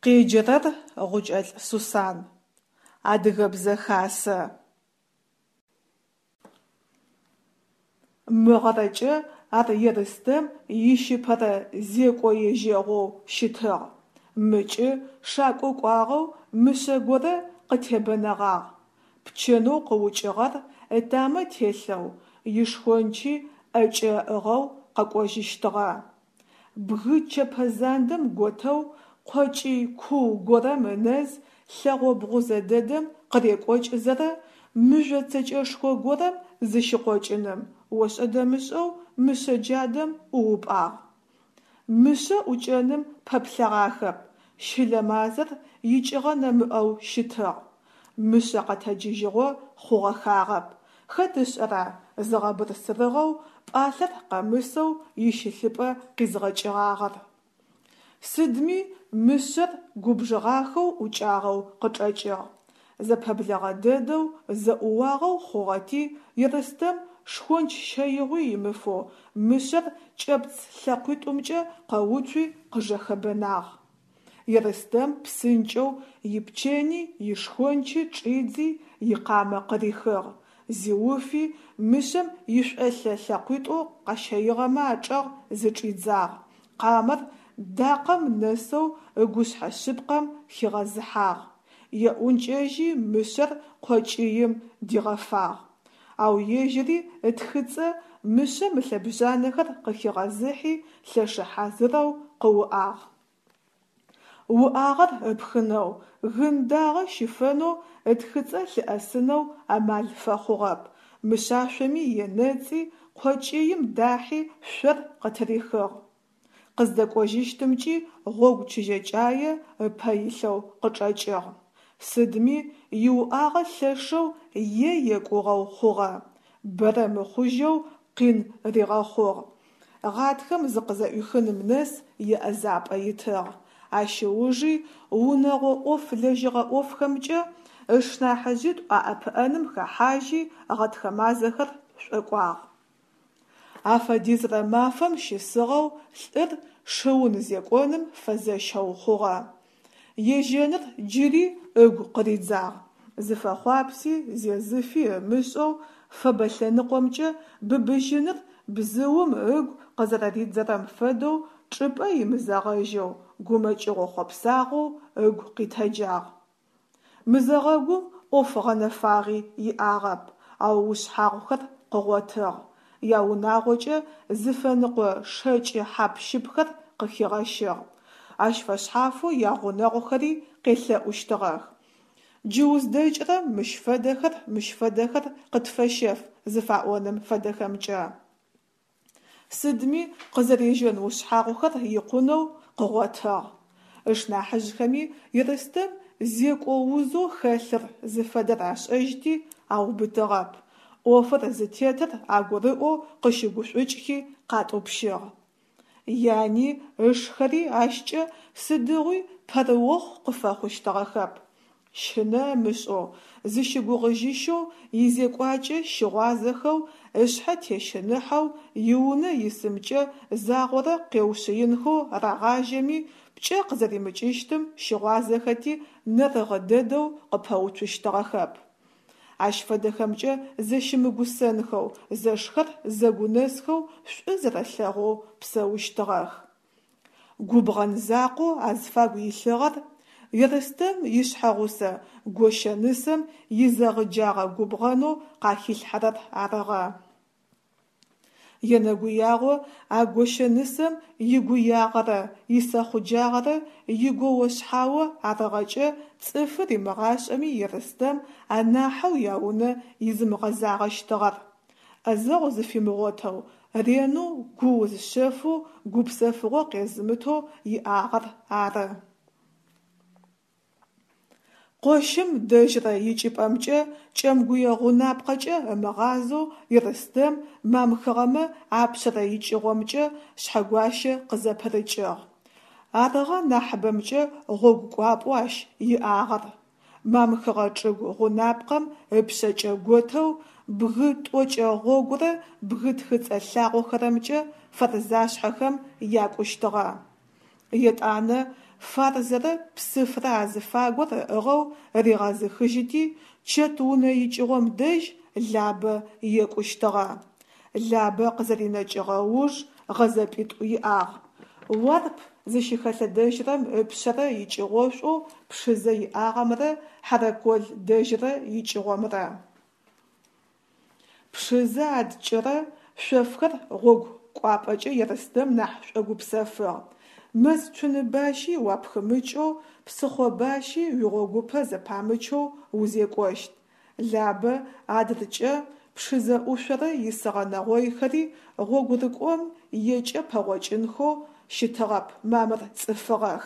Къеджэрэр Гъукӏэлӏ Сусан. Адыгэбзэ хасэ. Мыгъэрэкӏэ ар Ерстэм ищыпэрэ зекӏо ежьэгъоу щытыгъ. Мыкӏы шакӏо кӏуагъэу мышъэ горэ къытебэнэгъагъ. Пчэнэу къыукӏыгъэр ытамэ телъэу, ишхончи ӏэкӏэ ыӏыгъэу къэкӏожьыщтыгъэ. Бгы чэпэ зандэм готэу къокӏый куу горэм ынэз лъэгъо бгъузэ дэдэм къырекӏокӏызэрэ мыжъо цэкӏэшхо горэм зыщыкъокӏыным, ошӏэ-дэмышӏэу мышъэ джадэм ӏуупӏагъ. Мышъэ ӏукӏэным пэплъэгъахэп, щылэ мазэр икӏыгъэ нэмыӏэу щытыгъ. Мышъэ къэтэджыжьыгъо хъугъэхагъэп, хэт ышӏэра зыгъэбырсырыгъэу пӏалъэр къэмысэу ищылъыпӏэ къизгъэкӏыгъагъэр. Сыдми мышъэр губжыгъахэу ӏукӏагъэу къычӏэкӏыгъ. Зэпэблэгъэ дэдэу зэӏууагъэу хъугъэти, Ерстэм шхонч щэигъуи имыфэу мышъэр кӏэпц лъэкъуитӏумкӏэ къэуцуи къыжэхэбэнагъ. Ерстэм псынкӏэу ипчэни ишхончи чӏидзи икъамэ къырихыгъ, зиуфи мышъэм ишӏолъэ лъэкъуитӏу къэщэигъэмэ ачӏэгъ зычӏидзагъ, къамэр дакъэм нэсэу ыгушъхьэ шъыпкъэм хигъэзыхьагъ, еӏункӏэжьи мышъэр къокӏыим дигъэфагъ. Ау ежьыри ытхыцӏэ мышъэм ылъэбжъанэхэр къыхигъэзыхьи лъэшы хьазырэу къыуӏагъ. Уӏагъэр ыпхынэу, гын дагъэ щифэнэу ытхыцӏэ лъыӏэсынэу амал фэхъугъэп, мышъашъоми енэцӏи, къокӏыим дахьи шъор къытырихыгъ. Къыздэкӏожьыщтымкӏи гъогу чыжьэкӏае ыпэ илъэу къычӏэкӏыгъ. Сыдми иуӏагъэ лъэшэу е екӏугъэу хъугъэ, бэрэ мыхъужьэу къин ригъэхъугъ. Гъатхэм зыкъызэӏуихыным нэс иӏэзапӏэ итыгъ. Ащ ыужи унэгъо ӏоф лэжьыгъэ ӏофхэмкӏэ ышнахьыжъитӏу аӏэпыӏэным хэхьажьи гъэтхэ мазэхэр шӏокӏуагъ. Афэдизрэ мафэм щысыгъэу лӏыр шыун зекӏоным фэзэщэу хъугъэ. Ежьэныр джыри ыгу къыридзагъ. Зыфэхъуапси зезыфи ымышӏэу фэбэ лъэныкъомкӏэ быбыжьыныр бзыум ыгу къызэрэридзэрэм фэдэу чӏыпӏэ имызэгъэжьэу, гумэкӏыгъо-хъопсагъоу ыгу къитэджагъ. Мызэгъэгум ӏоф гъэнэфагъи иӏагъэп, ау ушъхьагъухэр къыгъотыгъ, яунагъокӏэ зыфэныкъо шэкӏы хьап-щыпхэр къыхигъэщыгъ. Ащ фэшъхьафэу ягъунэгъухэри къелъэӏущтыгъэх. Джы уздэкӏырэм мыщ фэдэхэр, мыщ фэдэхэр къытфэщэф зыфаӏоным фэдэхэмкӏэ. Сыдми къызэрежьэн ушъхьагъухэр икъунэу къыгъотыгъ. Ышнахьыжъхэми Ерстэм зекӏо узэу хэлъыр зыфэдэр ашӏэжьти, аубытыгъэп. ӏофыр зытетыр агурыӏоу къыщыгушӏукӏхи къатӏупщыгъ. Яни ышхэри ащкӏэ сыдигъуи пэрыохъу къыфэхъущтыгъэхэп. Щынэ ымышӏэу, зыщыгугъыжьыщэу, изекӏуакӏэ щыгъуазэхэу, ышъхьэ тещыныхьэу, иунэ исымкӏэ загъорэ къеушъыинхэу рагъажьэми, пкӏэ къызэримыкӏыщтым щыгъуазэхэти, нэрыгъэ дэдэу къыпэуцущтыгъэхэп. Ащ фэдэхэмкӏэ зэщымыгусэнхэу, зэшхэр зэгунэсхэу шӏу зэрэлъэгъоу псэущтыгъэх. Губгъэн закъоу азфагу илъыгъэр Ерстэм ишъхьэгъусэ гощэ нысэм изэгъыджагъэ губгъэнэу къахилъхьэрэр арыгъэ. Енэгуягъо а гощэ нысэм игуягъэрэ исэхъуджагъэрэ игоо-шъхьао арыгъэкӏэ цӏыфы римыгъашӏэми Ерстэм анахьэу яунэ изымыгъэзагъэщтыгъэр. ӏэзэгъу зыфимыгъотэу, ренэу гууз шъэфэу гупсэфыгъо къезымытэу иӏагъэр ары. Къощым дэжьрэ икӏыпӏэмкӏэ кӏэмгуе гъунапкъэкӏэ ымыгъазэу Ерстэм мамхыгъэмэ апшъэрэ икӏыгъомкӏэ Шъхьэгуащэ къызэпырыкӏыгъ. Арыгъэ нахьыбэмкӏэ гъогу кӏуапӏэу ащ иӏагъэр. Мамхыгъэ чӏыгу гъунапкъэм ыпшъэкӏэ готэу бгы тӏокӏэ гъогурэ бгы тхыцӏэ лъагъохэрэмкӏэ Фэрзашъхьэхэм якӏущтыгъэ. Етӏанэ. Фарзэрэ Псыфрэ азыфагур ыӏыгъэу ригъэзыхыжьыти, чэт унэ икӏыгъом дэжь Лабэ екӏущтыгъэ. Лабэ къызэринэкӏыгъэ ыуж гъэзэпӏитӏу иӏагъ. Уарп зыщыхэлъэдэжьырэм ыпшъэрэ икӏыгъошӏоу Пшызэ иӏагъэмрэ Хьэрэкол дэжьрэ икӏыгъомрэ. Пшызэ адкӏырэ шъофхэр гъогу кӏуапӏэкӏэ Ерстэм нахь шӏогупсэфыгъ. Мэз цуныбащи уапхымыкӏэу, псыхъо бащи уигъогупэ зэпамычэу узекӏощт. Лабэ адыркӏэ Пшызэ ӏушъорэ исыгъэ нэгъойхэри гъогурыкӏом екӏэ пэгъокӏынхэу щытыгъэп, мамыр цӏыфыгъэх.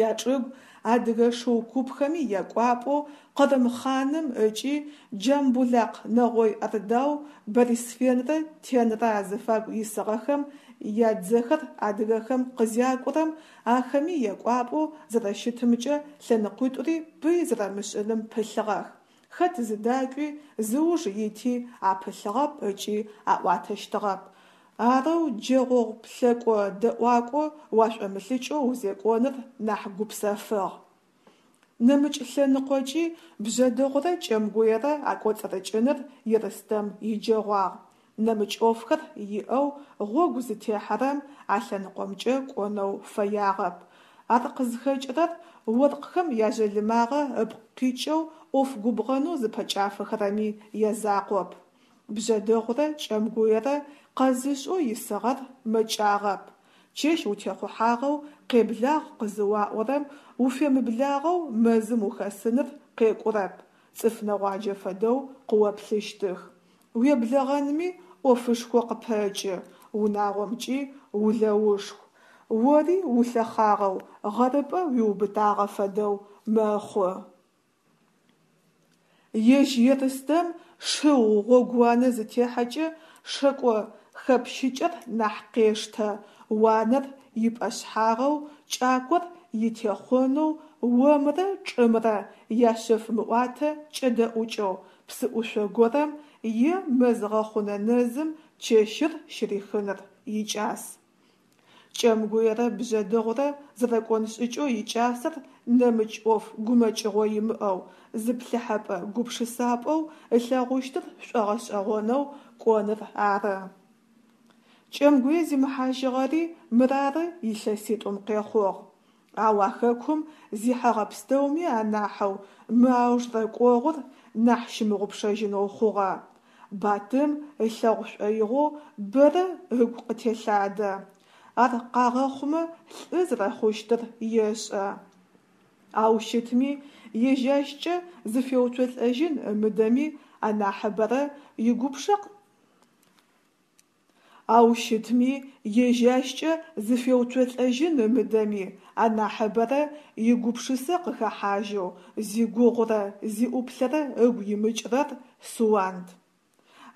Ячӏыгу адыгэ шыу купхэми якӏуапӏэу Къырым хъаным ыкӏи Джамбулакъ нэгъой Ордау Борисфенрэ Тенрэ азыфагу исыгъэхэм ядзэхэр адыгэхэм къызякӏурэм, ахэми якӏуапӏэу зэрэщытымкӏэ лъэныкъуитӏури пый зэрэмышӏыным пылъыгъэх. Хэт зыдакӏуи, зыуж ити апылъыгъэп ыкӏи аӏуатэщтыгъэп. Арэу джэгъогъу плъэкӏо-дэӏуакӏо уашӏомылӏыкӏэу узекӏоныр нахь гупсэфыгъ. Нэмыкӏ лъэныкъокӏи Бжъэдыгъурэ Кӏэмгуерэ акӏоцӏырыкӏыныр Ерстэм иджэгъуагъ. Нэмыкӏ ӏофхэр иӏэу гъогу зытехьэрэм а лъэныкъомкӏэ кӏонэу фэягъэп. Ар къызхэкӏырэр оркъхэм яжъалымагъэ ыпкъ къикӏэу ӏоф губгъэнэу зыпэкӏафэхэрэми язакъоп. Бжъэдыгъурэ Кӏэмгуерэ къэзышӏэу исыгъэр мэкӏагъэп. Чэщ утехъухьагъэу къеблагъ къызыуаӏорэм уфемыблагъэу мэзым ухэсыныр къекӏурэп, цӏыф нэгъуаджэ фэдэу къыоплъыщтых. Уеблэгъэнми ӏофышхо къыпэкӏы, унагъомкӏи улэушху. Ори улъэхъагъэу, гъэрыпӏэ уиубытагъэ фэдэу мэхъу. Ежь Ерстэм шыу гъогууанэ зытехьэкӏэ шэкӏо хэпщыкӏэр нахь къештэ, уанэр ипӏэшъхьагъэу, кӏакор итехъонэу, омрэ чӏымрэ яшъэф мыӏуатэ кӏэдэӏукӏэу, псыӏушъо горэм е мэз гъэхъунэ нэзым чэщыр щырихыныр икӏас. Кӏэмгуерэ Бжъэдыгъурэ зэрэкӏон шӏыкӏэу икӏасэр нэмыкӏ ӏоф гумэкӏыгъо имыӏэу, зыплъыхьэпӏэ-гупшысапӏэу ылъэгъущтыр шӏогъэшӏэгъонэу кӏоныр ары. Кӏэмгуе зимыхьажьыгъэри мырары илъэситӏум къехъугъ. Ау а хэкум зихьэгъэ пстэуми анахьэу мы аужрэ кӏогъур нахь щымыгъупшэжьынэу хъугъэ. Батым ылъэгъу шӏоигъоу бэрэ ыгу къытелъадэ. Ар къагъэхъумэ лӏы зэрэхъущтыр ешӏэ. Ау щытми, ежь ащкӏэ зыфеуцолӏэжьын ымыдэми анахьыбэрэ игупшэ Ау щытми, ежь ащкӏэ зыфеуцолӏэжьын ымыдэми, анахьыбэрэ игупшысэ къыхэхьажьэу, зигугъурэ зиӏуплъэрэ ыгу имыкӏрэр Суанд.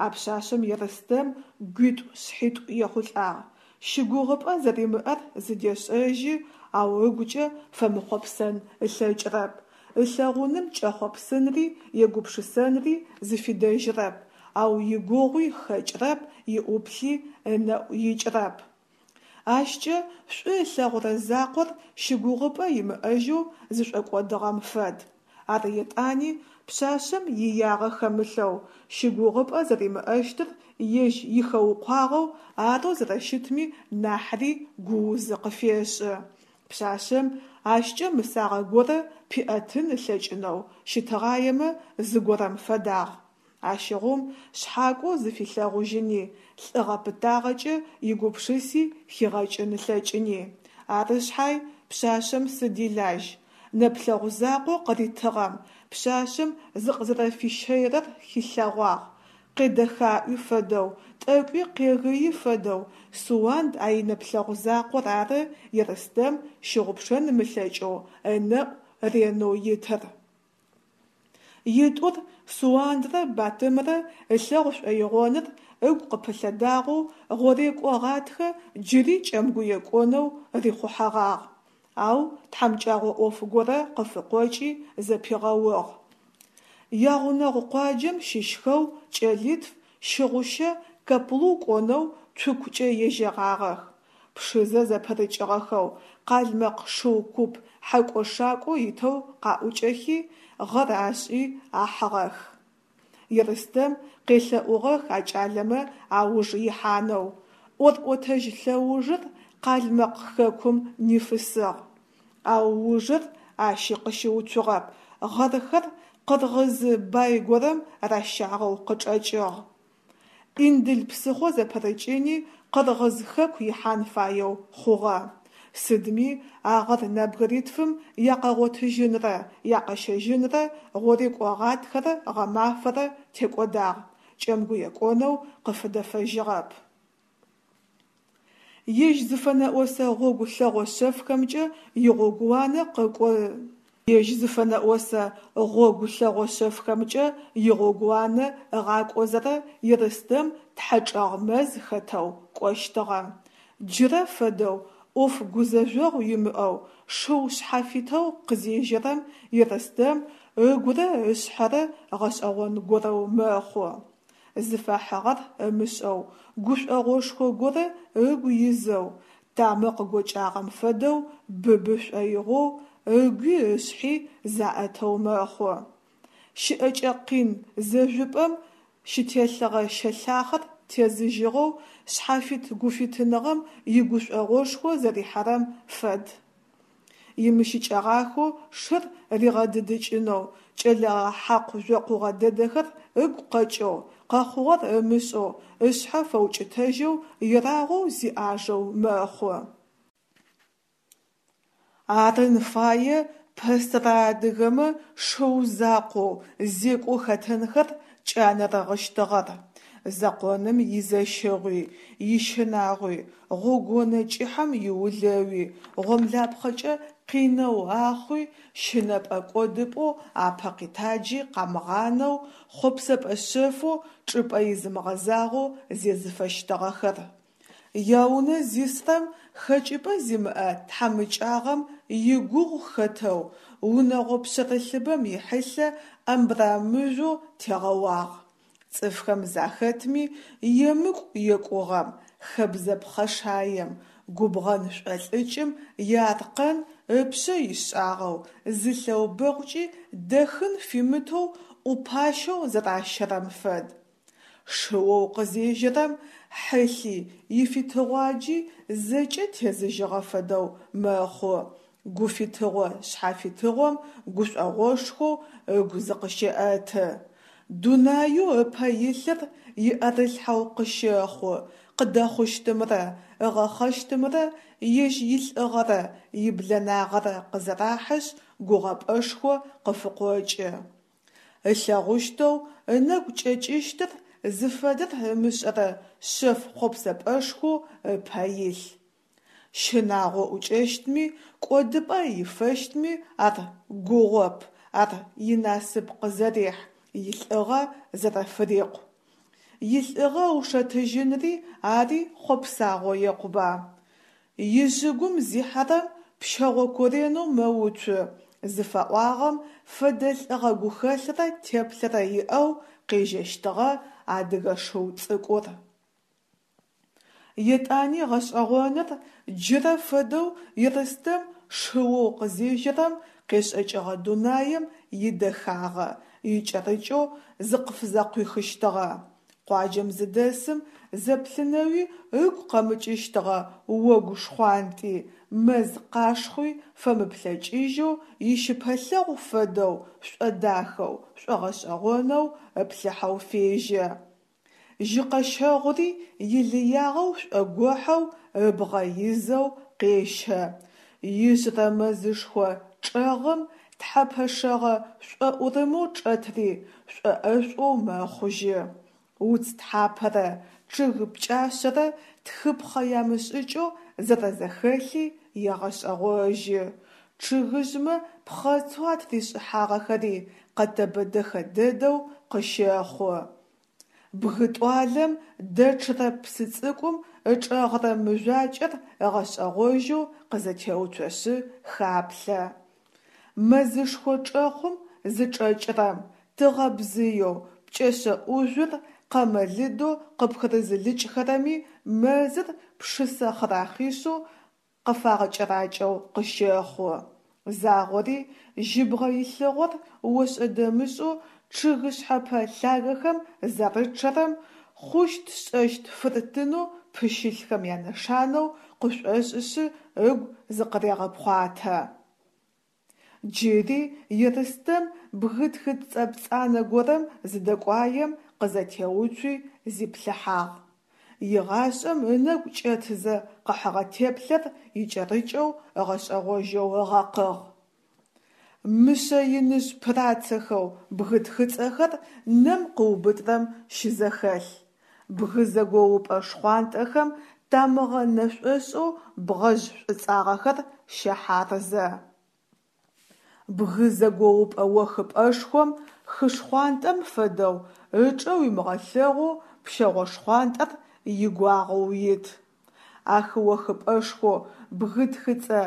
А пшъашъэм Ерстэм гуитӏу-шъхьитӏу ехъулӏагъ. Щыгугъыпӏэ зэримыӏэр зыдешӏэжьы, ау ыгукӏэ фэмыхъопсэн ылъэкӏрэп. Ылъэгъуным кӏэхъопсынри егупшысэнри зыфидэжьрэп, ау игугъуи хэкӏрэп, иӏуплъи ынэӏу икӏрэп. Ащкӏэ шӏу ылъэгъурэ закъор щыгугъыпӏэ имыӏэжьэу зышӏокӏодыгъэм фэд. Ар етӏани пшъашъэм иягъэ хэмылъэу, щыгугъыпӏэ зэримыӏэщтыр ежь ихэукъуагъэу арэу зэрэщытми нахьри гуузы къыфешӏы. Пшъашъэм ащкӏэ мысагъэ горэ пиӏэтын ылъэкӏынэу щытыгъаемэ зыгорэм фэдагъ. Ащыгъум шъхьакӏо зыфилъэгъужьыни, лӏыгъэ-пытагъэкӏэ игупшыси хигъэкӏын ылъэкӏыни. Ары шъхьай, пшъашъэм сыд илажь? Нэплъэгъу закъо къыритыгъэм, пшъашъэм зыкъызэрэфищэйрэр хилъэгъуагъ. Къедэхаӏуи фэдэу, тӏэкӏуи къегыи фэдэу Суанд а инэплъэгъу закъор ары Ерстэм щыгъупшэн ымылъэкӏэу ынэӏу ренэу итыр. Итӏур, Суандрэ Батымрэ ылъэгъу шӏоигъоныр ыгу къыпылъэдагъэу гъорекӏо гъатхэ джыри Кӏэмгуе кӏонэу рихъухьэгъагъ. Ау тхьамыкӏагъо ӏоф горэ къыфыкъокӏи зэпигъэугъ. Ягъунэгъу къуаджэм щыщхэу кӏэлитф Щыгъущэ Каплу кӏонэу цукукӏэ ежьэгъагъэх. Пшызэ зэпырыкӏыгъэхэу, къалмэкъ шыу куп хьэкӏо-шакӏо итэу къаӏукӏэхи, гъэр ашӏи ахьыгъэх. Ерстэм къелъэӏугъэх а кӏалэмэ ауж ихьанэу, ӏорӏотэжь лъэужыр Къалмэкъ хэкум нифысыгъ. Ау ужыр ащи къыщыуцугъэп, гъэрхэр къыргъызы бай горэм ращагъэу къычӏэкӏыгъ. Индыл псыхъо зэпырыкӏыни Къыргъыз хэку ихьан фаеу хъугъэ. Сыдми а гъэр нэбгыритфым якъэгъотыжьынрэ якъэщэжьынрэ гъорекӏо гъатхэрэ гъэмафэрэ текӏодагъ, Кӏэмгуе кӏонэу къыфыдэфэжьыгъэп. Ежь зыфэнэӏосэ гъогу лъэгъо шъэфхэмкӏэ игъогууанэ къыкӏу Ежь зыфэнэӏосэ гъогу лъэгъо шъэфхэмкӏэ игъогууанэ ыгъакӏозэрэ Ерстэм тхьэчӏэгъ мэз хэтэу кӏощтыгъэ. Джырэ фэдэу ӏоф гузэжъогъу имыӏэу шыу шъхьафитэу къызежьэрэм Ерстэм ыгурэ ышъхьэрэ гъэшӏэгъон горэу мэхъу. Зыфахьыгъэр ымышӏэу, гушӏогъошхо горэ ыгу изэу, тамэ къыгокӏагъэм фэдэу быбы шӏоигъоу, ыгуи ышъхьи заӏэтэу мэхъу. Щыӏэкӏэ къин зэжъупӏэм щытелъыгъэ щэлъахъэр тезыжьыгъэу шъхьафит-гуфитыныгъэм игушӏогъошхо зэрихьэрэм фэд. Имыщыкӏэгъахэу шыр ригъэдыдыкӏынэу, кӏэлэгъэ хьакъу-жъокъугъэ дэдэхэр ыгу къэкӏэу, къэхъугъэр ымышӏэу, ышъхьэ фэукӏытэжьэу ерагъоу зиӏажэу мэхъу. Арын фае пэсэрэ адыгэмэ шыу закъоу зекӏо хэтынхэр кӏанэрыгъыщтыгъэр. Зэкъоным изэщыгъуи, ищынагъуи, гъогуонэ кӏыхьэм иулэуи, гъомлапхъэкӏэ къинэу ахъуи, щынэпӏэ-кӏодыпӏэу апэ къитаджи къамыгъанэу, хъопсэпӏэ шъэфэу чӏыпӏэ изымыгъэзагъэу зезыфэщтыгъэхэр. Яунэ зисрэм хэкӏыпӏэ зимыӏэ тхьамыкӏагъэм игугъу хэтэу, унэгъо пшъэрылъыбэм ихьылъэ абрамыжъоу тегъэуагъ. Цӏыфхэм захэтми, емыкӏу екӏугъэм, хэбзэ пхъэшаем, губгъэн шӏолӏыкӏым иаркъэн ыпшъэ ишӏагъэу, зы лъэубэкъукӏи дэхын фимытэу ӏупащэу зэращэрэм фэд. Шыоу къызежьэрэм хьылъи, ифитыгъуаджи зэкӏэ тезыжьыгъэ фэдэу мэхъу, гуфитыгъо-шъхьафитыгъом гушӏогъошхоу ыгу зыкъыщеӏэты. Дунаеу ыпэ илъыр иӏэрылъхьэу къыщэхъу, къыдэхъущтымрэ ыгъэхъэщтымрэ ежь илӏыгъэрэ иблэнагъэрэ къызэрахьышъ гугъэпӏэшхо къыфыкъокӏы. Ылъэгъущтэу ынэгу кӏэкӏыщтыр зыфэдэр ымышӏэрэ шъэф хъопсэпӏэшхоу ыпэ илъ. Щынагъо ӏукӏэщтми, кӏодыпӏэ ифэщтми ар гугъоп, ар инасып къызэрехь, илӏыгъэ зэрэфырикъу. Илӏыгъэ ыушэтыжьынри ари хъопсагъо екъуба. Ижъыгум зихьэрэм пщэгъо коренэу мэуцу зыфаӏуагъэм фэдэ лӏыгъэ гухэлърэ теплъэрэ иӏэу къежьэщтыгъэ адыгэ шыу цӏыкӏур. Етӏани гъэшӏэгъоныр, джырэ фэдэу Ерстэм шыоу къызежьэрэм къешӏэкӏыгъэ дунаим идэхагъэ икӏэрыкӏэу зыкъыфызэкъуихыщтыгъэ. Къуаджэм зыдэсым зэплъынэуи ыгу къэмыкӏыщтыгъэ огу шхъуантӏи, мэз къашхъуи фэмыплъэкӏыжьэу ищыпэлъэгъу фэдэу шӏодахэу, шӏогъэшӏэгъонэу ыплъыхьэу фежьэ. Жьыкъэщэгъури илыягъэу шӏогохьэу ыбгъэ изэу къещэ. Ижъырэ мэзышхо чӏэгъым тхьэпэ шэгъэ шӏоӏурымэу чӏэтри шӏоӏэшӏоу мэхъужьы. Уц тхьапэрэ чъыг пкӏашъэрэ тхыпхъэ ямышӏыкӏэу зэрэзэхэлъи егъэшӏэгъожьы. Чъыгыжъмэ пхъэцэу атыришӏыхьагъэхэри къэтэбэ дэхэ дэдэу къыщэхъу. Бгы тӏуалэм дэчъырэ псы цӏыкӏум ычӏэгъырэ мыжъуакӏэр ыгъэшӏэгъожьэу къызэтеуцошъы хаплъэ. Мэзышхо чӏэхъум зычӏэкӏырэм, тыгъэ бзыеу пкӏэшъэ ӏужъур къэмэ лыдэу къыпхырызылыкӏхэрэми мэзыр пшысэ хъырахъишъэу къыфагъэкӏэракӏэу къыщэхъу. Загъори жьыбгъэ илъыгъор ошӏэ-дэмышӏэу чъыг шъхьэпэ лъагэхэм зарычъэрэм, хъущт-шӏэщт фыртынэу пыщылъхэм янэшанэу къышӏошӏышъы ыгу зыкъырегъэпхъуатэ. Джыри Ерстэм бгы тхыцӏэ пцӏанэ горэм зыдэкӏуаем къызэтеуцуи зиплъыхьагъ. Игъашӏэм ынэгу кӏэтызэ къыхьыгъэ теплъэр икӏэрыкӏэу ыгъэшӏэгъожьэу ыгъэкъыгъ. Мышъэ иныжъ пырацэхэу бгы тхыцӏэхэр нэм къыубытрэм щызэхэлъ. Бгы зэгоупӏэ шхъуантӏэхэм тамыгъэ нэшӏошӏэу бгъэжъ шӏуцӏагъэхэр щэхьарзэ. Бгы зэгоупӏэ охыпӏэшхом хы шхъуантӏэм фэдэу ычӏэ уимыгъэлъэгъоу пщэгъо шхъуантӏэр игуагъэу ит. А хы охыпӏэшхоу бгы тхыцӏэ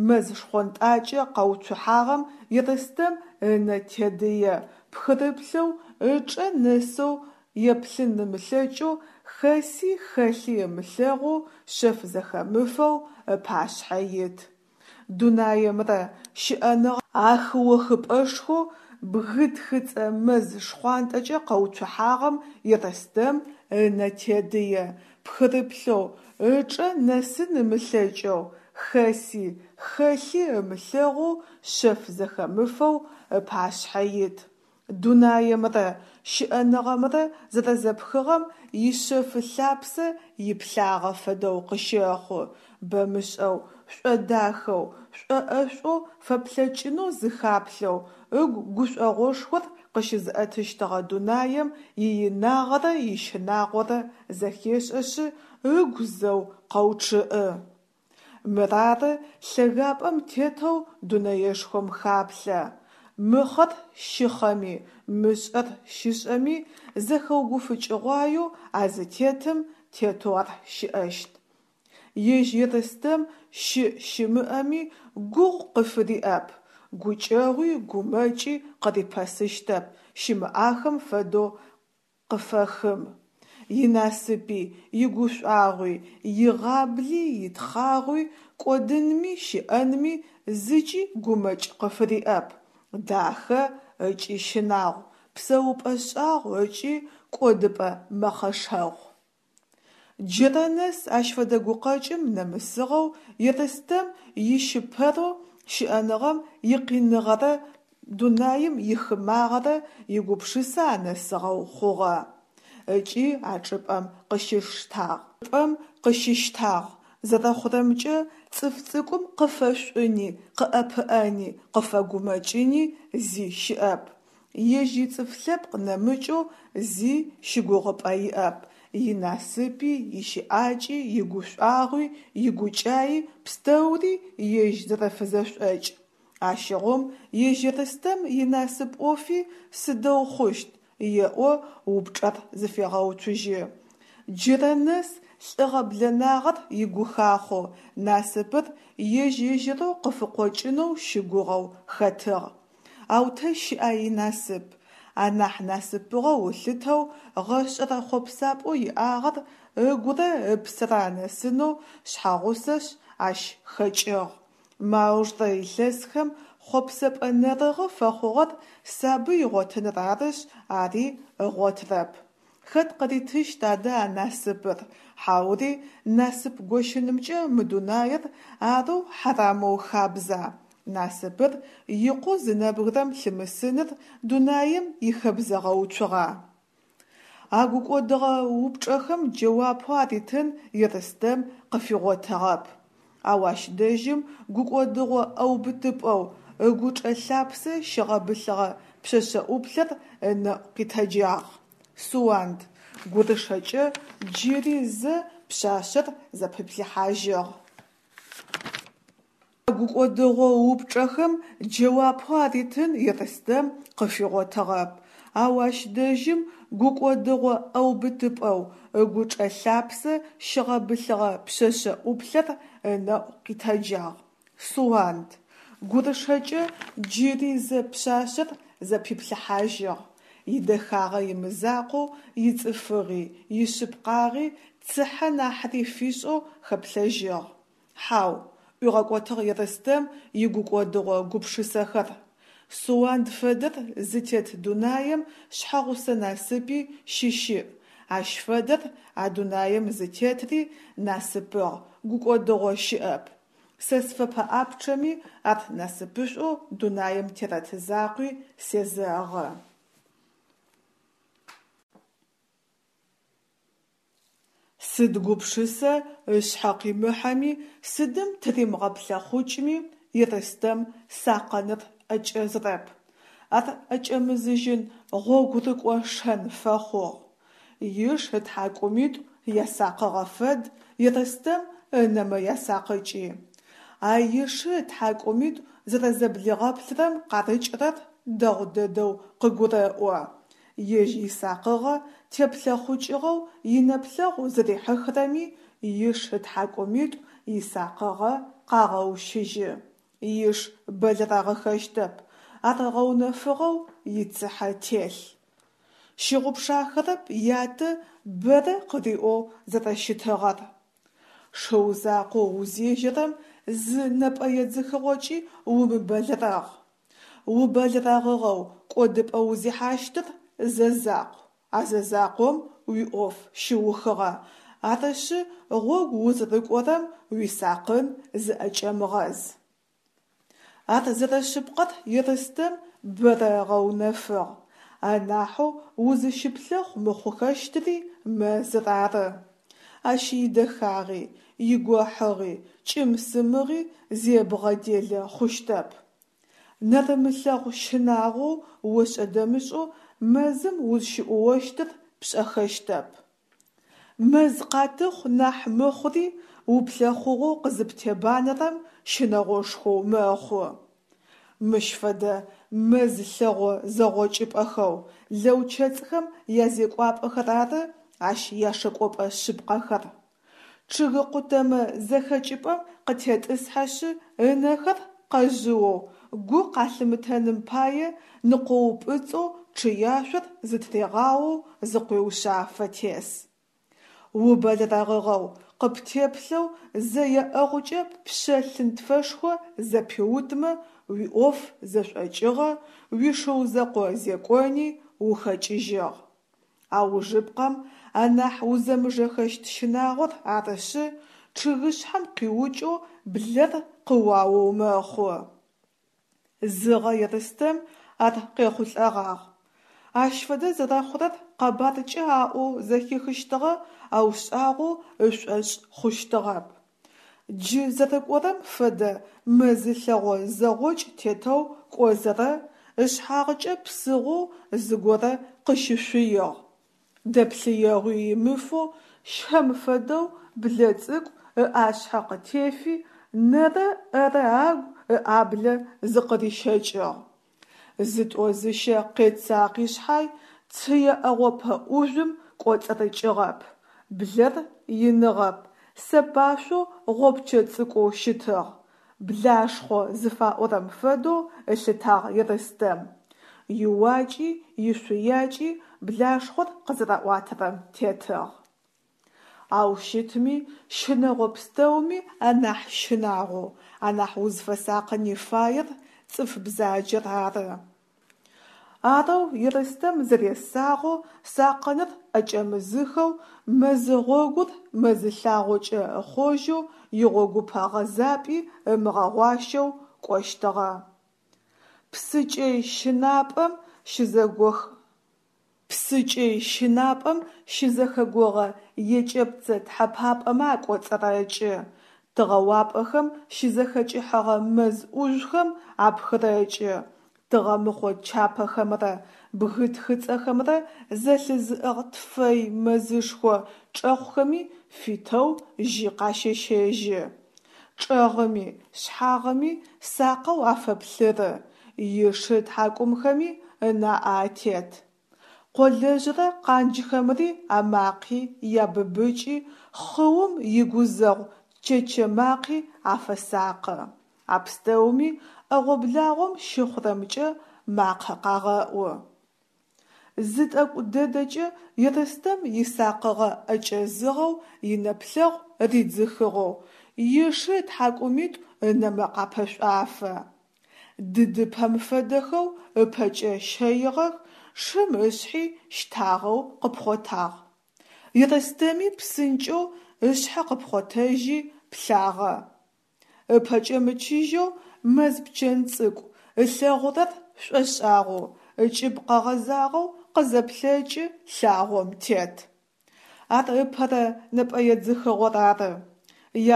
мэз шхъонтӏакӏэ къэуцухьагъэм Ерстэм ынэ тедые, пхырыплъэу ычӏэ нэсэу еплъын ымылъэкӏэу, хэси хэлъи ымылъэгъоу, шъэф зэхэмыфэу ыпашъхьэ ит. Дунаемрэ щыӏэныгъ А хы охыпӏэшхоу бгы тхыцӏэ мэз шхъуантӏэкӏэ къэуцухьагъэм Ерстэм ынэ тедые, пхырыплъэу, ычӏэ нэсын ымылъэкӏэу, хэси, хэлъи ымылъэгъоу, шъэф зэхэмыфэу ыпашъхьэ ит. Дунаемрэ щыӏэныгъэмрэ зэрэзэпхыгъэм ишъэфы лъапсэ иплъагъэ фэдэу къыщэхъу, бэмышӏэу, шӏодахэу, шӏоӏэшӏоу фэплъэкӏынэу зыхаплъэу, ыгу гушӏогъошхор къыщызыӏэтыщтыгъэ дунаем иинагъэрэ ищынагъорэ зэхешӏэшъы, ыгу зэу къэучъыӏы. Мырары лъэгапӏэм тетэу дунэешхом хаплъэ. Мыхъэр щыхъэми, мышӏэр щышӏэми зэхэугуфыкӏыгъуаеу а зытетым тетэу ар щыӏэщт. Ежь Ерстэм щыӏ-щымыӏэми гугъу къыфыриӏэп, гукӏэгъуи гумэкӏи къырипэсыщтэп, щымыӏахэм фэдэу къыфэхым. Инасыпи, игушӏуагъуи, игъабли, итхъагъуи, кӏодынми щыӏэнми зыкӏи гумэкӏ къыфыриӏэп. Дахэ ыкӏи щынагъу, псэупӏэ шӏагъу ыкӏи кӏодыпӏэ мэхъэшэгъу. Джырэ нэс ащ фэдэ гукъэкӏым нэмысыгъэу Ерстэм ищыпэрэу щыӏэныгъэм икъиныгъэрэ дунаим ихымагъэрэ игупшысэ анэсыгъэу хъугъэ. Ыкӏи а чӏыпӏэм къыщыштагъ. Пӏэм къыщыщтагъ. Зэрэхъурэмкӏэ, цӏыф цӏыкӏум къыфэшӏуни, къыӏэпыӏэни, къыфэгумэкӏыни зи щыӏэп. Ежь ицӏыф лъэпкъ нэмыкӏэу зи щыгугъыпӏэ иӏэп, инасыпи, ищыӏакӏи, игушӏуагъуи, игукӏаи пстэури ежь зэрэфызэшӏокӏ. Ащыгъум ежь Ерстэм инасып ӏофи сыдэу хъущт, еӏо упчӏэр зыфегъэуцужьы. Джырэ нэс лӏыгъэ-блэнагъэр игухахъоу, насыпыр ежь-ежьырэу къыфыкъокӏынэу щыгугъэу хэтыгъ. Ау тэ щыӏа инасып? Анахь насыпыгъэу ылъытэу гъэшӏэрэ хъопсапӏэу иӏагъэр ыгурэ ыпсэрэ анэсынэу шъхьэгъусэшъ ащ хэкӏыгъ. Мы аужрэ илъэсхэм хъопсэпӏэ нэрыгъы фэхъугъэр сабый ыгъотыныр арышъ, ари ыгъотырэп. Хэт къыритыщт адэ а насыпыр? Хьаури насып гощынымкӏэ мы дунаир арэу хьарамэу хабза? Насыпыр икъоу зы нэбгырэм лъымысыныр дунаим ихэбзэгъэуцугъа? А гукӏодыгъэ упчӏэхэм джэуапэу аритын Ерстэм къыфигъотыгъэп. Ау ащ дэжьым гукӏодыгъо ӏэубытыпӏэу ыгучӏэ лъапсэ щыгъэбылъыгъэ пшъэшъэ ӏуплъэр ынэӏу къитэджагъ. Суанд, гурышэкӏэ джыри зэ пшъашъэр зэпиплъыхьажьыгъ. Гукӏодыгъо упчӏэхэм джэуапэу аритын Ерстэм къыфигъотыгъэп. Ау ащ дэжьым гукӏодыгъо ӏэубытыпӏэу ыгучӏэ лъапсэ щыгъэбылъыгъэ пшъэшъэ ӏуплъэр ынэӏу къитэджагъ. Суанд, гурышэкӏэ джыри зэ пшъашъэр зэпиплъыхьажьыгъ. Идэхагъэ имызакъоу, ицӏыфыгъи, ишъыпкъагъи цыхьэ нахьыри фишӏэу хэплъэжьыгъ. Хьау, ӏуигъэкӏотыгъ Ерстэм игукӏодыгъо гупшысэхэр. Суанд фэдэр зытет дунаем шъхьэгъусэ насыпи щыщыӏ, ащ фэдэр а дунаем зытетри насыпыгъ, гукӏодыгъо щыӏэп. Сэ сфэпэӏапчъэми, ар насыпышӏоу дунаем терэт закъуи сезэгъы. Сыд гупшысэ ышъхьэ къимыхьэми, сыдым тыримыгъэплъэхъукӏми, Ерстэм сакъыныр ӏэкӏэзрэп. Ар ӏэкӏэмызыжьын гъогурыкӏо шэн фэхъугъ. Иш ытхьакӏумитӏу ясакъыгъэ фэд Ерстэм ынэмэ ясакъыкӏи. А ишы ытхьакӏумитӏу зэрэзэблигъэплъырэм къарыкӏырэр дэгъу дэдэу къыгурэӏо. Ежь исакъыгъэ теплъэхъукӏыгъэу инэплъэгъу зэрихьыхырэми иш ытхьакӏумитӏу исакъыгъэ къагъэущыжьы. Иш бэлэрэгъыхэщтэп, ар гъэунэфыгъэу ицыхьэ телъ. Щыгъупшахэрэп ятэ бэрэ къыриӏоу зэрэщытыгъэр. Шыу закъоу узежьэрэм зы нэпӏэедзыхыгъокӏи умыбэлэрэгъ. Убэлэрэгъыгъэу кӏодыпӏэ узихьащтыр зэ закъу, а зэ закъом уиӏоф щыухыгъэ, арышъы гъогу узырыкӏорэм уисакъын зыӏэкӏэмыгъэз. Ар зэрэшъыпкъэр Ерстэм бэрэ ыгъэунэфыгъ. Анахьэу узыщыплъэхъу мыхъухэщтыри мэзыр ары. Ащ идэхагъи, игохьыгъи, кӏым-сымыгъи зебгъэделэ хъущтэп. Нэрымылъэгъу щынагъоу ошӏэ-дэмышӏэу мэзым узщыӏуощтыр пшӏэхэщтэп. Мэз къатыхъу нахь мыхъури уплъэхъугъэу къызыптебанэрэм щынэгъошхоу мэхъу. Мыщ фэдэ мэз лъэгъо зэгъокӏыпӏэхэу лэучэцӏхэм язекӏуапӏэхэр ары ащ яшэкӏопӏэ шъыпкъэхэр. Чъыг къутэмэ зэхэкӏыпӏэм къытетӏысхьэшъы ынэхэр къэжъыоу, гу къалъымытэным пае ныкъоупӏыцӏэу чъыяшъор зытрегъаоу зыкъуеушъафэ тес. Убэлэрэгъыгъэу, къыптеплъэу зэ еӏэгъукӏэ ппшъэ лъынтфэшхо зэпиутмэ, уиӏоф зэшӏокӏыгъэ, уишыу зэкъо зекӏони ухэкӏыжьыгъ. Аужыпкъэм, анахь узэмыжэхэщт щынагъор арышъы, чъыгышъхьэм къиукӏэу блэр къыуаоу мэхъу. Зыгъэ Ерстэм ар къехъулӏэгъагъ. Ащ фэдэ зэрэхъурэр къэбаркӏэ аӏоу зэхихыщтыгъэ, ау шӏагъоу ышӏошъ хъущтыгъэп. Джы зэрэкӏорэм фэдэ мэзы лъэгъо зэгъокӏ тетэу кӏозэрэ, ышъхьагъкӏэ псыгъоу зыгорэ къыщышъуигъ. Дэплъыегъуи имыфэу щэм фэдэу блэ цӏыкӏу ыӏашъхьэ къытефи, нэрэ ӏэрэ агу ыӏаблэ зыкъырищэкӏыгъ. Зытӏо-зыщэ къецакъи шъхьай, цые ӏэгъопэ ӏужъум кӏоцӏырыкӏыгъэп. Блэр иныгъэп, сэпашъоу гъопчэ цӏыкӏоу щытыгъ. Блашхъо зыфаӏорэм фэдэу ылъытагъ Ерстэм. Иуакӏи ишъуякӏи блашхъор къызэраӏуатэрэм тетыгъ. Ау щытми, щынэгъо пстэуми анахь щынагъоу, анахь узфэсакъыни фаер цӏыф бзаджэр ары. Арэу Ерстэм зэресагъэу сакъыныр ӏэкӏэмызыхэу, мэзы гъогур мэзы лъагъокӏэ ыхъожьэу, игъогупэ гъэзапӏи ымыгъэгъуащэу кӏощтыгъэ. Псыкӏэй щынапӏэм щызэгох. Псыкӏэй щынапӏэм щызэхэгогъэ екӏэпцӏэ тхьэпапӏэмэ акӏоцӏырэкӏы, тыгъэуапӏэхэм щызэхэкӏыхьэгъэ мэз ӏужъухэм апхырэкӏы, тыгъэмыхъо чапэхэмрэ бгы тхыцӏэхэмрэ зэлъызыӏыгъ тфэй мэзышхо чӏэхъухэми фитэу жьы къащещэжьы. Чӏэгъыми, шъхьагъыми сакъэу афэплъыры, ишы тхьакӏумхэми ынаӏэ атет. Къолэжърэ къанджхэмри амакъи, ябыбыкӏи, хъыум игузэгъу чэчэ макъи афэсакъы. А пстэуми ӏэгъо-благъом щыхъурэмкӏэ макъэ къагъэӏу. Зы тӏэкӏу дэдэкӏэ Ерстэм исакъыгъэ ӏэкӏэзыгъэу, инэплъэгъу ридзыхыгъэу, ишы ытхьакӏумитӏу ынэмэ къапэшӏуафэ. Дыдыпэм фэдэхэу ыпэкӏэ щэигъэх, шым ышъхьи щтагъэу къыпхъотагъ. Ерстэми псынкӏэу ышъхьэ къыпхъотэжьи плъагъэ. Ыпэкӏэ мычыжьэу мэз пчэн цӏыкӏу, ылъэгъурэр шӏошӏагъоу, ыкӏыб къэгъэзагъэу къызэплъэкӏы лъагъом тет. Ар ыпэрэ нэпӏэедзыхыгъор ары.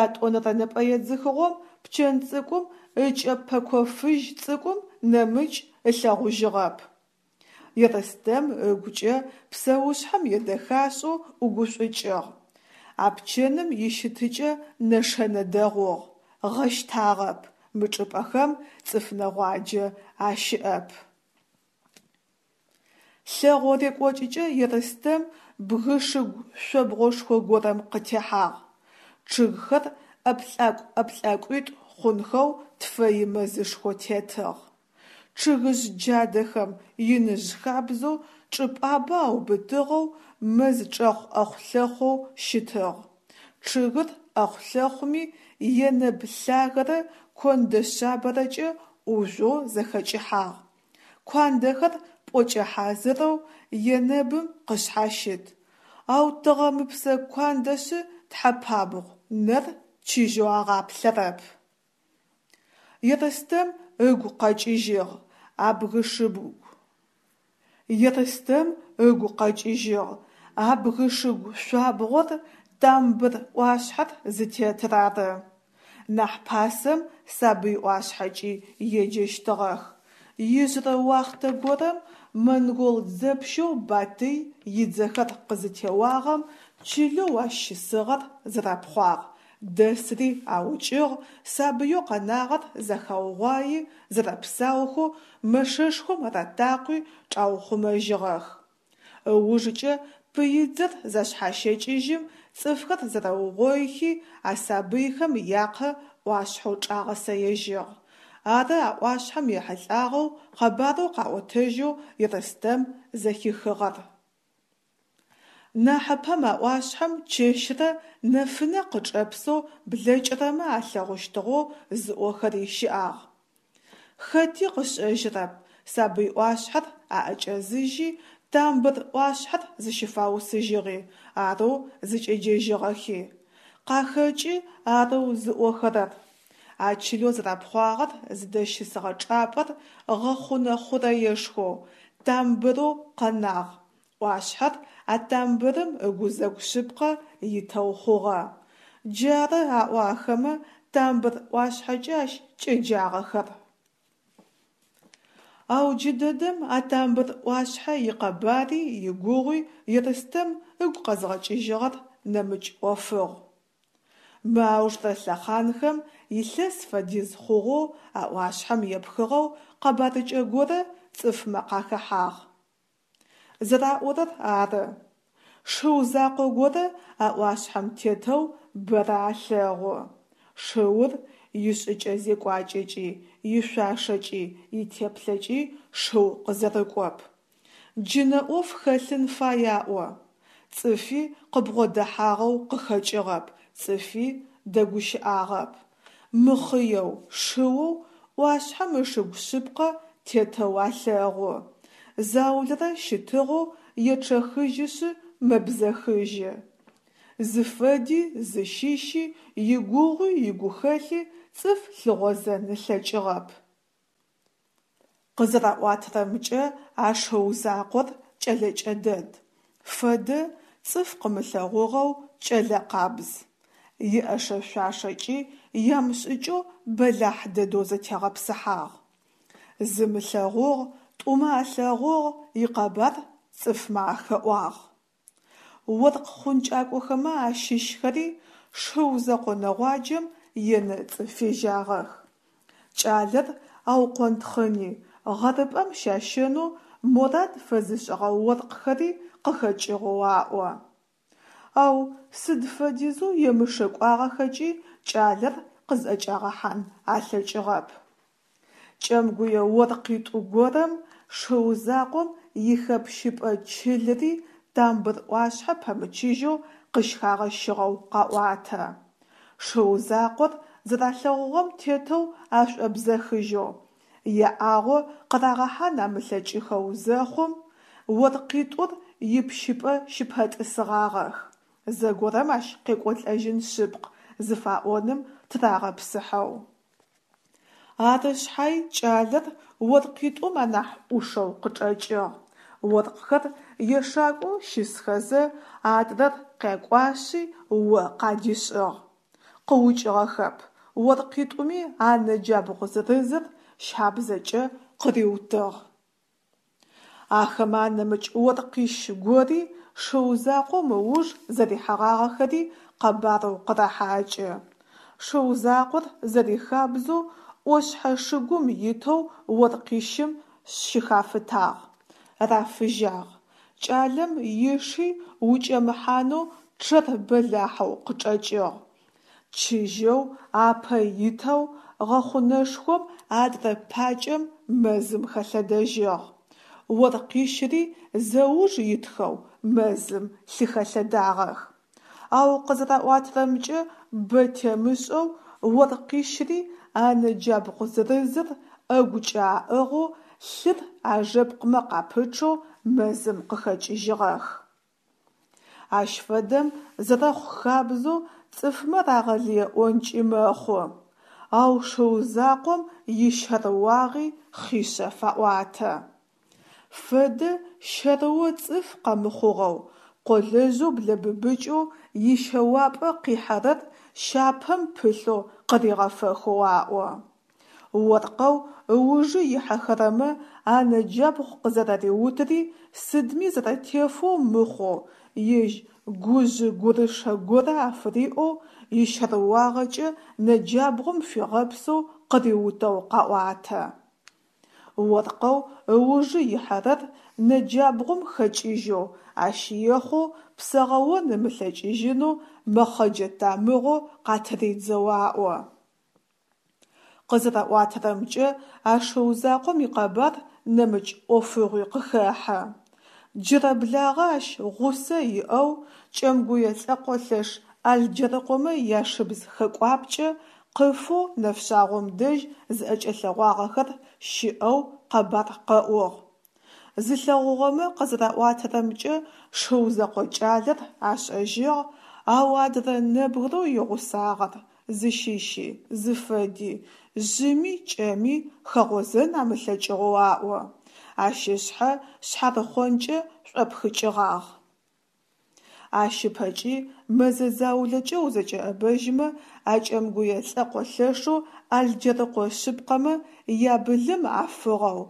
Ятӏонэрэ нэпӏэедзыхыгъом пчэн цӏыкӏум ыкӏэ пэко фыжь цӏыкӏум нэмыкӏ ылъэгъужьыгъэп. Ерстэм ыгукӏэ псэушъхьэм едэхашӏэу ӏугушӏукӏыгъ. А пчэным ищытыкӏэ нэшэнэ дэгъугъ, гъэщтагъэп, мы чӏыпӏэхэм цӏыф нэгъуаджэ ащыӏэп. Лъэгъо рекӏокӏыкӏэ Ерстэм бгышыгу шъобгъошхо горэм къытехьагъ. Чъыгхэр ӏэплӏакӏу-ӏэплӏакӏуитӏу хъунхэу тфэ имэзышхо тетыгъ. Чъыгыжъ джадэхэм, иныжъ хабзэу чӏыпӏабэ аубытыгъэу мэз чӏэгъ ӏэхъу-лъэхъоу щытыгъ. Чъыгыр ӏэхъу-лъэхъуми, енэб лъагэрэ кондэ шъабэрэкӏэ ӏужъоу зэхэкӏыхьагъ. Куандэхэр пӏокӏэ хьазырэу енэбым къышъхьащыт, ау тыгъэмыпсэ куандэшъы тхьэпабгъу, нэр чыжьэу агъаплъэрэп. Ерстэм ыгу къэкӏыжьыгъ а бгышыгу. Ерстэм ыгу къэкӏыжьыгъ а бгышыгу шъуабгъор Тамбыр ӏуашъхьэр зытетыр ары. Нахь пасэм Сабый ӏуашъхьэкӏи еджэщтыгъэх. Ижъырэ уахътэ горэм монгол дзэпщэу Батый идзэхэр къызытеуагъэм чылэу ащ щысыгъэр зэрапхъуагъ, дэсри аукӏыгъ, сабыеу къэнагъэр зэхаугъуаи, зэрэпсаухэу мэшэшхом ратакъуи чӏаухъумэжьыгъэх. Ыужыкӏэ пыидзэр зашъхьащэкӏыжьым цӏыфхэр зэрэугъоихи а сабыйхэм якъэ ӏуашъхьэу чӏагъэсэежьыгъ. Ары а ӏуашъхьэм ехьылӏагъэу къэбарэу къаӏотэжьэу Ерстэм зэхихыгъэр. Нахьыпэм а ӏуашъхьэм чэщрэ нэфынэ къычӏэпсэу блэкӏырэмэ алъэгъущтыгъэу зыӏохэри щыӏагъ. Хэти къышӏэжьырэп сабый ӏуашъхьэр аӏэкӏэзыжьи Тамбыр ӏуашъхьэр зыщыфаусыжьыгъи, арэу зыкӏеджэжьыгъэхи. Къахэкӏы арэу зыӏохэрэр. А чылэу зэрапхъуагъэр зыдэщысыгъэ чӏапӏэр гъэхъунэ хъурэешхоу, тамбырэу къэнагъ, ӏуашъхьэр а тамбырым ыгузэгу шъыпкъэ итэу хъугъэ. Джары аӏо ахэмэ Тамбыр ӏуашъхьэкӏэ ащ кӏеджагъэхэр. Ау джыдэдэм а Тамбыр ӏуашъхьэ икъэбари игугъуи Ерстэм ыгу къэзгъэкӏыжьыгъэр нэмыкӏ ӏофыгъу. Мы аужрэ лъэхъанхэм илъэс фэдиз хъугъэу а ӏуашъхьэм епхыгъэу къэбарыкӏэ горэ цӏыфмэ къахэхьагъ. Зэраӏорэр ары. Шыу закъо горэ а ӏуашъхьэм тетэу бэрэ алъэгъу. Шыур ишӏыкӏэ-зекӏуакӏэкӏи, ишъуашэкӏи, итеплъэкӏи шыу къызэрыкӏоп. Джынэ ӏоф хэлъын фай аӏо. Цӏыфи къыбгъодэхьагъэу къыхэкӏыгъэп, цӏыфи дэгущыӏагъэп. Мыхъыеу, шыоу ӏуашъхьэм ышыгу шъыпкъэ тетэу алъэгъу. Заулэрэ щытыгъэу ечъэхыжьышъы мэбзэхыжьы. Зыфэди, зыщыщи, игугъуи игухэлъи цӏыф лъыгъозэн ылъэкӏыгъэп. Къызэраӏуатэрэмкӏэ, а шыу закъор кӏэлэкӏэ дэд, фэдэ цӏыф къымылъэгъугъэу кӏэлэ къабз. Иӏэшэ-шъуашэкӏи ямышӏыкӏэу бэлахь дэдэу зэтегъэпсыхьагъ. Зым ылъэгъугъ, тӏумэ алъэгъугъ, икъэбар цӏыфмэ ахэӏуагъ. Оркъ хъункӏакӏохэмэ ащыщхэри шыу зэкъо нэгъуаджэм енэцӏы фежьагъэх. Кӏалэр аукъонтхъыни, гъэрыпӏэм щащэнэу морад фэзышӏыгъэ оркъхэри къыхэкӏыгъэу аӏо. Ау сыд фэдизэу емышэкӏуагъэхэкӏи кӏалэр къызӏэкӏагъэхьан алъэкӏыгъэп. Кӏэмгуе оркъитӏу горэм шыу закъом ихэпщыпӏэ чылри Тамбыр ӏуашъхьэ пэмычыжьэу къыщхагъэщыгъэу къаӏуатэ. Шыу закъор зэралъэгъугъэм тетэу ашӏобзэхыжьэу, яӏагъо къырагъэхьан амылъэкӏыхэу зэхъум, оркъитӏур ипщыпӏэ щыпэтӏысыгъагъэх, зэгорэм ащ къекӏолӏэжьын шъыпкъ зыфаӏоным тырагъэпсыхьэу. Ары шъхьай кӏалэр оркъитӏум анахь ӏушэу къычӏэкӏыгъ. Оркъхэр ешакӏоу щысхэзэ, адрэр къякӏуашъи о къадишӏыгъ. Къыукӏыгъэхэп, оркъитӏуми анэ джабгъу зырызыр щабзэкӏэ къыриутыгъ. Ахэмэ анэмыкӏ оркъищ гори шыу закъом ыуж зэрихьэгъагъэхэри къэбарэу къырахьакӏы. Шыу закъор зэрихабзэу ӏошъхьэ шыгум итэу оркъищым щыхафытагъ, рафыжьагъ. Кӏалэм иши укӏэмыхьанэу чъэр бэлахьэу къычӏэкӏыгъ. Чыжьэу апэ итэу гъэхъунэшхом адрэ пакӏэм мэзым хэлъэдэжьыгъ. Оркъищри зэуж итхэу мэзым лъыхэлъэдагъэх. Ау къызэраӏуатэрэмкӏэ, бэ темышӏэу оркъищри анэ джабгъу зырызыр ӏэгукӏэ аӏыгъэу лъыр ажэпкъмэ къапычъэу мэзым къыхэкӏыжьыгъэх. Ащ фэдэм зэрэхъу хабзэу цӏыфмэ рагъэлыеӏонкӏи мэхъу. Ау шыу закъом ищэрыуагъи хъишъэ фаӏуатэ. Фэдэ щэрыо цӏыф къэмыхъугъэу, къолэжъэу блэбыбыкӏэу ищэуапӏэ къихьэрэр щапэм пылъэу къыригъэфэхэу аӏо. Оркъэу ыужы ихьэхэрэмэ анэ джабгъу къызэрариутыри сыдми зэрэтефэу мыхъоу, ежь гужъы-гурышэ горэ афыриӏэу, ищэрыуагъэкӏэ нэджабгъум фигъэпсэу къыриутэу къаӏуатэ. Оркъэу ыужы ихьэрэр нэджабгъум хэкӏыжьэу, ащ ехъоу псэгъэон ымылъэкӏыжьынэу мэхъэджэ тамыгъэу къатыридзэу аӏо. Къызэраӏуатэрэмкӏэ, а шыу закъом икъэбар нэмыкӏ ӏофыгъуи къыхэхьэ. Джырэблагъэ ащ гъусэ иӏэу кӏэмгуе лӏэкъолъэш Алджэрыкъомэ яшыбз хэкӏуапкӏэ къыфэу нэфшъагъом дэжь зыӏэкӏэлъэгъуагъэхэр щыӏэу къэбар къэӏугъ. Зылъэгъугъэмэ къызэраӏуатэрэмкӏэ, шыу зэкъо кӏалэр ашӏэжьыгъ, ау адрэ нэбгырэу игъусагъэр, зыщыщи, зыфэди, жъыми кӏэми хэгъозэн амылъэкӏыгъэу аӏо. Ащ ышъхьэ шъхьарыхъонкӏэ шӏопхыкӏыгъагъ. Ащ ыпэкӏи мэзэ заулэкӏэ узэкӏэӏэбэжьымэ, а кӏэмгуе лӏэкъо лъэшэу Алджэрыкъо шъыпкъэмэ ябылым афыгъэу,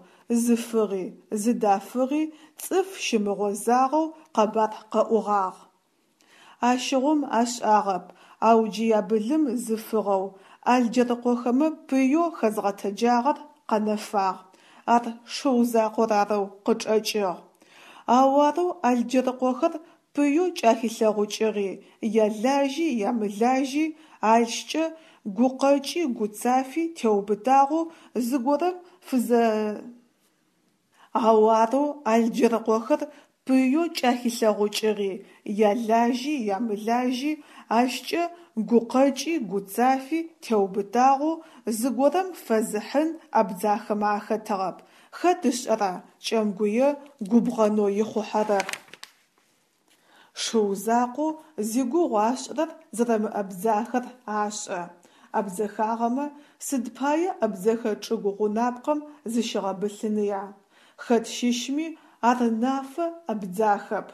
зыфыгъи, зыдафыгъи цӏыф щымыгъозагъэу къэбар къэӏугъагъ. Ащыгъум ашӏагъэп, ау джы ябылым зыфыгъэу, Алджэрыкъохэмэ пыеу хэзгъэтэджагъэр къэнэфагъ, ар шыу закъор арэу къычӏэкӏыгъ. Ау арэу Алджэрыкъохэр пыеу кӏахилъэгъукӏыгъи, ялажьи ямылажьи, ащкӏэ гукъэкӏи гуцафи теубытагъэу зыгорэм фызэ. Ау арэу Алджэрыкъохэр пыеу кӏахилъэгъукӏыгъи, ялажьи ямылажьи, ащкӏэ гукъэкӏи гуцафи теубытагъэу зыгорэм фэзыхьын абдзахэмэ ахэтыгъэп, хэт ышӏэра кӏэмгуе губгъэнэу ихъухьэрэр. Шыу закъоу зигугъу ашӏырэр зэрэмыабдзахэр ашӏэ. Абдзэхагъэмэ, сыд пае абдзэхэ чӏыгу гъунапкъэм зыщигъэбылъыныя? Хэт щыщми, ар нафэ, абдзахэп.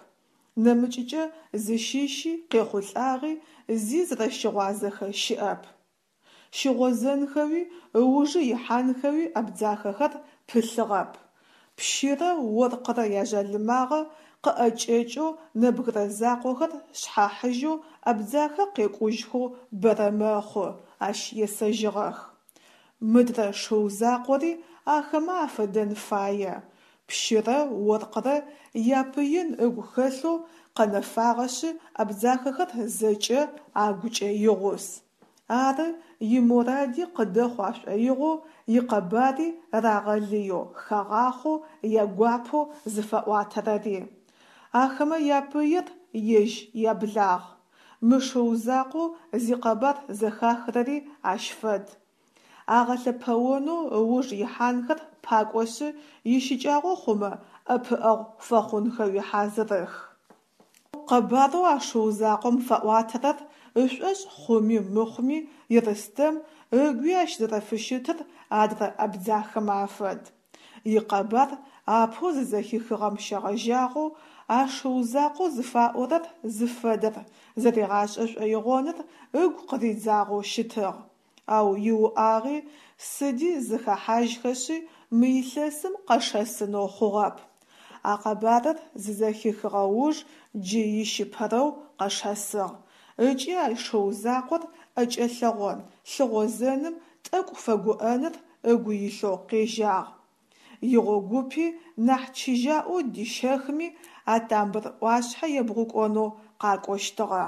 Нэмыкӏыкӏэ зыщыщи, къехъулӏагъи зи зэрэщыгъуазэхэ щыӏэп. Щыгъозэнхэуи, ыужы ихьанхэуи абдзахэхэр пылъыгъэп. Пщырэ оркърэ яжъалымагъэ къыӏэкӏэкӏэу нэбгырэ закъохэр шъхьахьыжьэу Абдзахэ къекӏужьхэу бэрэ мэхъу, ащ есэжьыгъэх. Мыдрэ шыу закъори ахэмэ афэдэн фае. Пщырэ оркърэ япыин ыгу хэлъэу къэнэфагъэшъы абдзахэхэр зэкӏэ агукӏэ игъус. Ары иморади къыдэхъу ашӏоигъоу, икъэбари рагъэлыеу, хагъахъоу, ягуапэу зыфаӏуатэрэри. Ахэмэ япыир ежь яблагъ. Мы шыу закъоу зикъэбар зэхахрэри ащ фэд. Агъэлъэпэонэу ыуж ихьанхэр пакӏошъы, ищыкӏагъэу хъумэ, ӏэпыӏэгъу фэхъунхэуи хьазырых. Къэбарэу а шыу закъом фаӏуатэрэр ышӏошъ хъуми мыхъуми Ерстэм ыгуи ащ зэрэфыщытыр адрэ абдзахэмэ афэд. Икъэбар апэу зызэхихыгъэм щегъэжьагъэу а шыу закъоу зыфаӏорэр зыфэдэр зэригъашӏэ шӏоигъоныр ыгу къыридзагъэу щытыгъ. Ау иуӏагъи, сыди зыхэхьажьхэшъи, мы илъэсым къэшэсынэу хъугъэп. А къэбарыр зызэхихыгъэ уж джы ищыпэрэу къэшэсыгъ. Ыкӏи а шыу закъор ӏэкӏэлъэгъон, лъыгъозэным тӏэкӏу фэгуӏэныр ыгу илъэу къежьагъ. Игъогупи нахь чыжьаӏоу дищэхми, а тамбыр ӏуашъхьэ ебгъукӏонэу къакӏощтыгъэ.